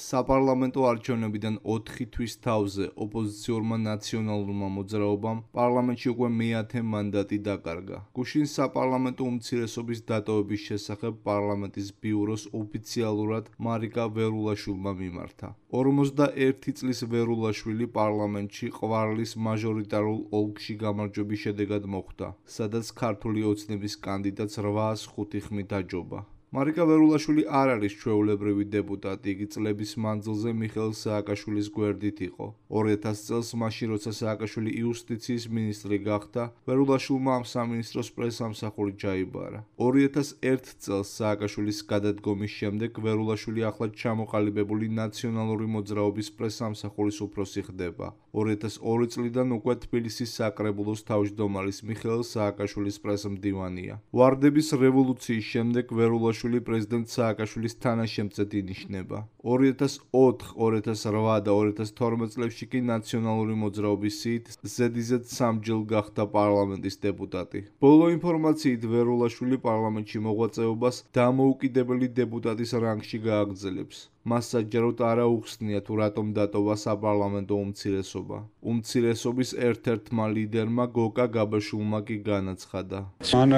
საპარლამენტო არჩევნებიდან 4 თვის თავზე ოპოზიციურმა ნაციონალურმა მოძრაობამ პარლამენტში უკვე მე-10 მანდატი დაკარგა. გუშინ საპარლამენტო უმცირესობის დატოვების შესახებ პარლამენტის ბიუროს ოფიციალურად მარიკა ვერულაშვილმა მიმართა. 51 წლის ვერულაშვილი პარლამენტში ყვარლის მაჟორიტარულ ოლქში გამარჯვების შედეგად მოხვდა, სადაც ქართული ოცნების კანდიდატს 805 ხმით აჯობა. მარიკა ვერულაშვილი არ არის ჩვეულებრივი დეპუტატი, იგი წლების მანძილზე მიხეილ სააკაშვილის გვერდით იყო. 2000 წელს მაშინ როცა სააკაშვილი იუსტიციის მინისტრი გახდა, ვერულაშვილმა ამ სამინისტროს პრესამსახური ჩაიბარა. 2001 წელს სააკაშვილის გადადგომის შემდეგ ვერულაშვილი ახლად ჩამოყალიბებული ნაციონალური მოძრაობის პრესამსახურის უფროსი ხდება. 2002 წლიდან უკვე თბილისის საკრებულოს თავმჯდომარის მიხეილ სააკაშვილის პრესმდივანია. ვარდების რევოლუციის შემდეგ ვერულაშვილი პრეზიდენტ სააკაშვილის თანაშემწედ ინიშნება. 2004, 2008 და 2012 წლებში კი ნაციონალური მოძრაობის სიით ზედიზედ 3 ჯილ გახდა პარლამენტის დეპუტატი. ბოლო ინფორმაციით ვერულაშვილი პარლამენტში მოღვაწეობას დამოუკიდებელი დეპუტატის რანგში გააგრძელებს. მას საჯაროდ არ აუხსნია თუ რატომ დატოვა საპარლამენტო უმცირესობა. უმცირესობის ერთ-ერთმა ლიდერმა გოკა გაბაშვილმა კი განაცხადა. მან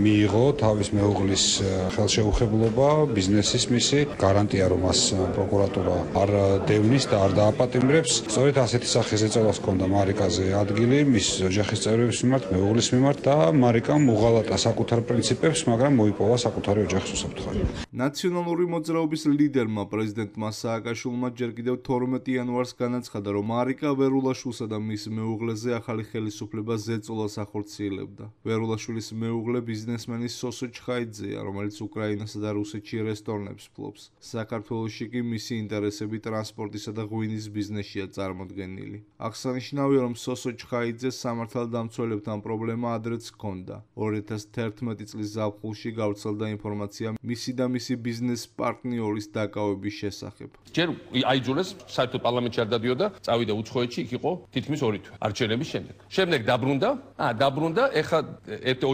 მიიღო თავის მეუღლის ხელშეუხებლობა, ბიზნესის მისი, გარანტია რომ მას პროკურატურა არ დევნის და არ დააპატიმრებს. სწორედ ასეთი სახის ეწევას ჰქონდა მარიკაზე ადგილი მის ოჯახის წევრების მიმართ, მეუღლის მიმართ და მარიკამ უღალატა საკუთარ პრინციპებს, მაგრამ მოიპოვა საკუთარი ოჯახის უსაფრთხოება. ნაციონალური მოძრაობის ლიდერმა პრეზიდენტმა სააკაშვილმა ჯერ კიდევ 12 იანვარს განაცხადა, რომ მარიკა ვერულაშვილსა და მის მეუღლეზე ახალი ხელისუფლება ზეწოლას ახორციელებდა. ვერულაშვილის მეუღლე ბიზნესმენი სოსო ჩხაიძეა, რომელიც უკრაინასა და რუსეთში რესტორნებს ფლობს. საქართველოში კი მისი ინტერესები ტრანსპორტისა და ღვინის ბიზნესშია წარმოდგენილი. აღსანიშნავია, რომ სოსო ჩხაიძეს სამართალდამცველებთან პრობლემა ადრეც ჰქონდა. 2011 წლის ზაფხულში გავრცელდა ინფორმაცია მისი და მისი ბიზნეს პარტნიორის დაკავების შესახებ. ჯერ აიძულეს საერთოდ პარლამენტში არ დადიოდა, წავიდა უცხოეთში, იქ იყო თითქმის 2 თვე არჩევნების შემდეგ. შემდეგ დაბრუნდა, ეხლა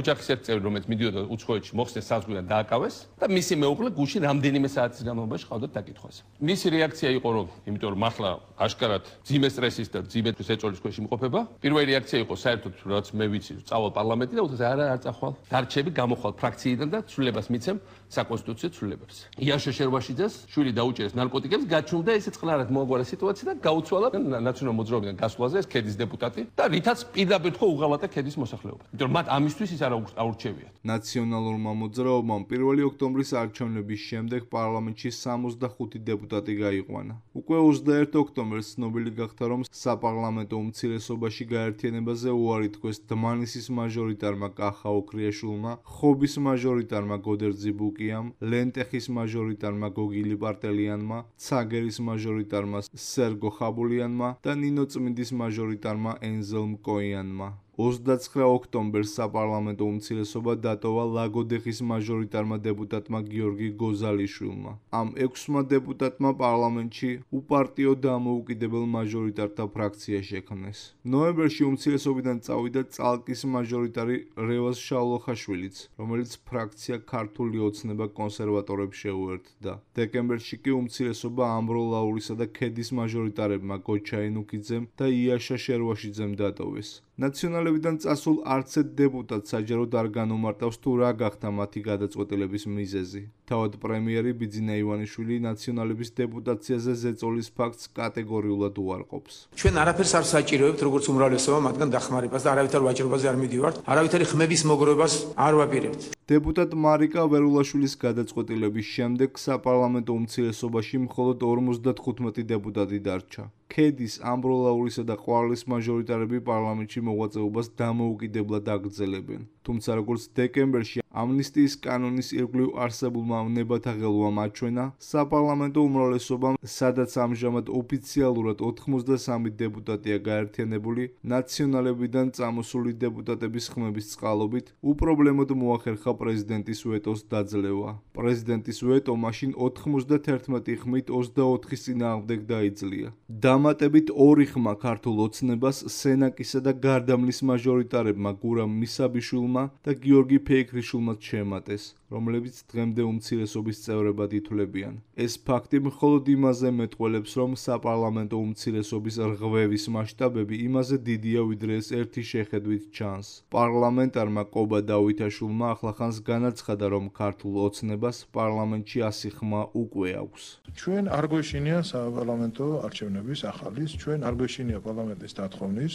ოჯახის ერთ წევრი, რომელიც მიდიოდა უცხოეთში, მოხსნეს საზღვიდან დააკავეს და მისი მეუღლე გუშინ რამდენიმე საათის განმავლობაში ყავდათ დაკითხვაზე. მისი რეაქცია იყო, რომ იმიტომ რომ ახლა აშკარად ძიმე სტრესის და ძიმე ეწოლის ქვეშ იმყოფება, პირველი რეაქცია იყო საერთოდ რაც მე ვიცი, წავალ პარლამენტში და უცებ არ წახვალ. დარჩები გამოხვალ ფრაქციიდან და ცვლილებას მიცემ საკონსტიტუციო ცვლილებებს. იაშა შერვაშიძეს შვილი დაუჭერეს ნარკოტიკებს, გაჩნდა ესე წყნარად მოაგვარა სიტუაცია და გაუცვალა ნაციონალურ მოძრაობიდან გასვლაზე ეს ქედის დეპუტატი და რითაც პირდაპირ თქო უღალატა ქედის მოსახლეობა. იმიტომ რომ მათ ამისთვის ის არ აურჩევიათ. ნაციონალურმა მოძრაობამ 1 ოქტომბრის არჩევნების შემდეგ პარლამენტში 65 დეპუტატი გაიყვანა. უკვე 21 ოქტომბერს ცნობილი გახდა, რომ საპარლამენტო უმცირესობაში გაერთიანებაზე უარი თქვეს დმანისის მაჟორიტარმა კახა ოქრიაშვილმა, ხობის მაჟორიტარმა გოდერძი ბუკიამ, ლენტეხის მაჟორიტარმა გოგილი პარტელიანმა, ცაგერის მაჟორიტარმა სერგო ხაბულიანმა და ნინოწმინდის მაჟორიტარმა ენზელ მკოიანმა. 29 ოქტომბერს საპარლამენტო უმცირესობა დატოვა ლაგოდეხის მაჟორიტარმა დეპუტატმა გიორგი გოზალიშვილმა. ამ 6 დეპუტატმა პარლამენტში უპარტიო დამოუკიდებელ მაჟორიტართა ფრაქცია შექმნეს. ნოემბერში უმცირესობიდან წავიდა წალკის მაჟორიტარი რევაზ შავლოხაშვილიც, რომელიც ფრაქცია ქართული ოცნება კონსერვატორებს შეუერთდა. დეკემბერში კი უმცირესობა ამბროლაურისა და ქედის მაჟორიტარებმა გოჩა ენუქიძემ და იაშა შერვაშიძემ დატოვეს. ნაციონალებიდან წასულ არც ერთ დეპუტატს საჯაროდ არ განუმარტავს თუ რა გახდა მათი გადაწყვეტილების მიზეზი. თავად პრემიერი ბიძინა ივანიშვილი ნაციონალების დეპუტაციაზე ზეწოლის ფაქტს კატეგორიულად უარყოფს. ჩვენ არაფერს არ საჭიროებთ როგორც უმრავლესობა მათგან დახმარებას და არავითარ ვაჭრობაზე არ მიდივართ, არავითარი ხმების მოგროვებას არ ვაპირებთ. დეპუტატ მარიკა ვერულაშვილის გადაწყვეტილების შემდეგ საპარლამენტო უმცირესობაში მხოლოდ 55 დეპუტატი დარჩა. ქედის, ამბროლაურისა და ყვარლის მაჟორიტარები პარლამენტში მოღვაწეობას დამოუკიდებლად აგრძელებენ. თუმცა როგორც დეკემბერში ამნისტიის კანონის ირგვლივ არსებულმა ნებათა ღელვამ აჩვენა, საპარლამენტო უმრავლესობამ, სადაც ამჟამად ოფიციალურად 83 დეპუტატია გაერთიანებული, ნაციონალებიდან წამოსული დეპუტატების ხმების წყალობით, უპრობლემოდ მოახერხა პრეზიდენტის ვეტოს დაძლევა. პრეზიდენტის ვეტო მაშინ 91 ხმით 24-ის წინააღმდეგ დაიძლია. დამატებით 2 ხმა ქართულ ოცნებას, სენაკისა და გარდამლის მაჟორიტარებმა გურამ მისაბიშვილმა და გიორგი ფეიქრიშვილმა ინტერესულმა შეემატეს, რომლებიც დღემდე უმცირესობის წევრებად ითვლებიან. ეს ფაქტი მხოლოდ იმაზე მეტყველებს, რომ საპარლამენტო უმცირესობის რღვევის მასშტაბები იმაზე დიდია, ვიდრე ეს ერთი შეხედვით ჩანს. პარლამენტარმა კობა დავითაშვილმა ახლახანს განაცხადა, რომ ქართულ ოცნებას პარლამენტში 100 ხმა უკვე აქვს. ჩვენ არ გვეშინია საპარლამენტო არჩევნების ახალის, ჩვენ არ გვეშინია პარლამენტის დათხოვნის,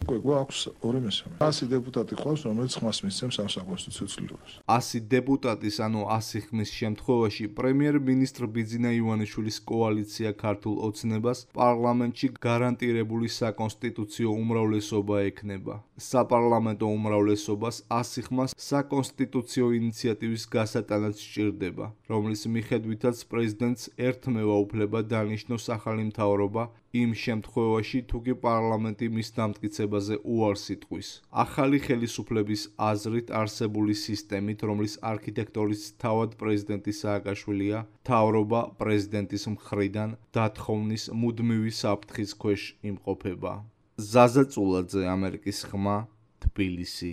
გვაქვს 2/3. 100 დეპუტატი ყავს, რომელიც ხმას მისცემს ამ საკონსტიტუციო ცვლილებას. 100 დეპუტატის, ანუ 100 ხმის შემთხვევაში პრემიერ-მინისტრ ბიძინა ივანიშვილის კოალიცია ქართულ ოცნებას პარლამენტში გარანტირებული საკონსტიტუციო უმრავლესობა ექნება. საპარლამენტო უმრავლესობას 100 ხმას საკონსტიტუციო ინიციატივის გასატანად სჭირდება, რომლის მიხედვითაც პრეზიდენტს ერთმევა უფლება დანიშნოს ახალი მთავრობა იმ შემთხვევაში, თუ კი პარლამენტი მის დამტკიცებაზე უარს იტყვის. ახალი ხელისუფლების აზრით არსებული სისტემით, რომლის არქიტექტორის თავად პრეზიდენტი სააკაშვილია, მთავრობა პრეზიდენტის მხრიდან დათხოვნის მუდმივი საფრთხის ქვეშ იმყოფება. ზაზა წულაძე, ამერიკის ხმა, თბილისი.